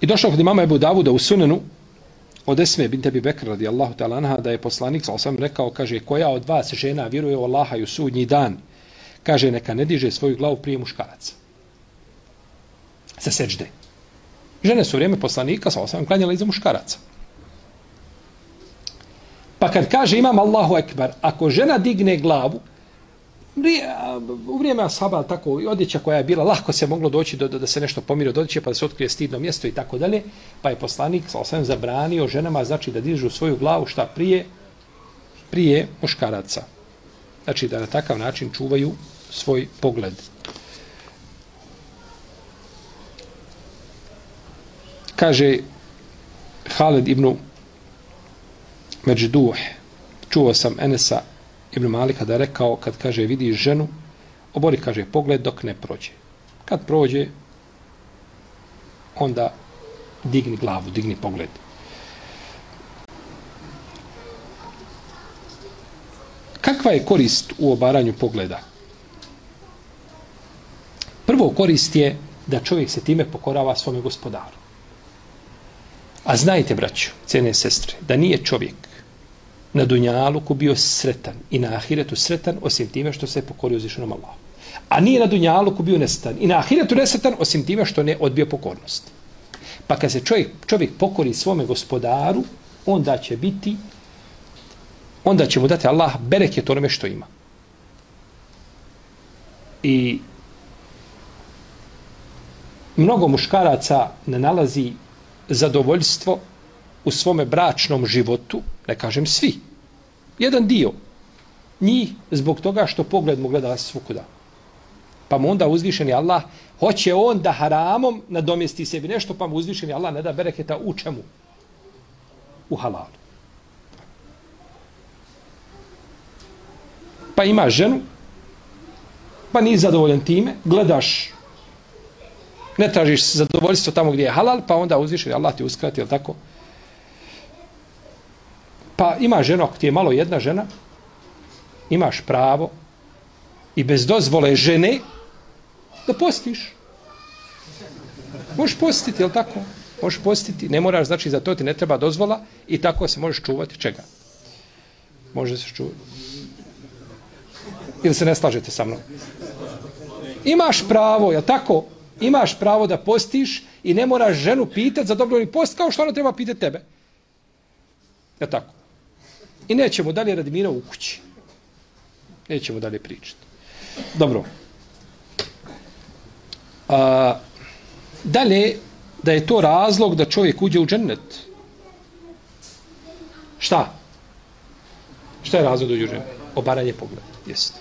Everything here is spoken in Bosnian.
I došao kod imama Ebu Davuda u Sunenu od Esme bint Abi Bekr radijallahu ta'ala anha da je poslanik sallallahu rekao, kaže, koja od vas žena vjeruje u Allaha i u sudnji dan, kaže, neka ne diže svoju glavu prije muškaraca. Sa seđde. Žene su u vrijeme poslanika sallallahu klanjale iza muškaraca. Pa kad kaže imam Allahu ekber, ako žena digne glavu, u vrijeme ashaba tako odjeća koja je bila, lahko se moglo doći da se nešto pomiri od odjeće, pa da se otkrije stidno mjesto i tako dalje, pa je poslanik sallallahu zabranio ženama, znači da dižu svoju glavu šta prije muškaraca. Znači da na takav način čuvaju svoj pogled. Kaže Halid ibn Međduh, čuo sam Enesa ibn Malika da je rekao, kad kaže vidiš ženu, obori, kaže, pogled dok ne prođe. Kad prođe, onda digni glavu, digni pogled. Kakva je korist u obaranju pogleda? Prvo korist je da čovjek se time pokorava svome gospodaru. A znajte, braćo, cijene sestre, da nije čovjek na dunjaluku bio sretan i na ahiretu sretan osim time što se pokorio uzvišenom Allahu. A nije na dunjaluku bio nesretan i na ahiretu nesretan osim time što ne odbio pokornost. Pa kad se čovjek pokori svome gospodaru, onda će mu dati Allah bereket onome što ima. I mnogo muškaraca ne nalazi zadovoljstvo u svome bračnom životu, ne kažem svi, jedan dio njih zbog toga što pogled mu gleda svukuda. Pa mu onda uzvišeni Allah, hoće on da haramom nadomjesti sebi nešto, pa mu uzvišeni Allah ne da bereketa u čemu? U halalu. Pa ima ženu, pa nisi zadovoljan time, gledaš, ne tražiš zadovoljstvo tamo gdje je halal, pa onda uzvišeni Allah ti uskrati, je li tako? Pa ima žena, ako ti je malo jedna žena, imaš pravo i bez dozvole žene da postiš. Možeš postiti, je li tako? Možeš postiti, ne moraš, znači za to ti ne treba dozvola i tako se možeš čuvati čega? Može se čuvati. Ili se ne slažete sa mnom? Imaš pravo, je li tako? Imaš pravo da postiš i ne moraš ženu pitati za dobrovoljni post kao što ona treba pitati tebe. Je li tako? I nećemo dalje radi mira u kući. Nećemo dalje pričati. Dobro. Dalje, da je to razlog da čovjek uđe u džennet. Šta? Šta je razlog da uđe u džennet? Obaranje pogleda. Jeste.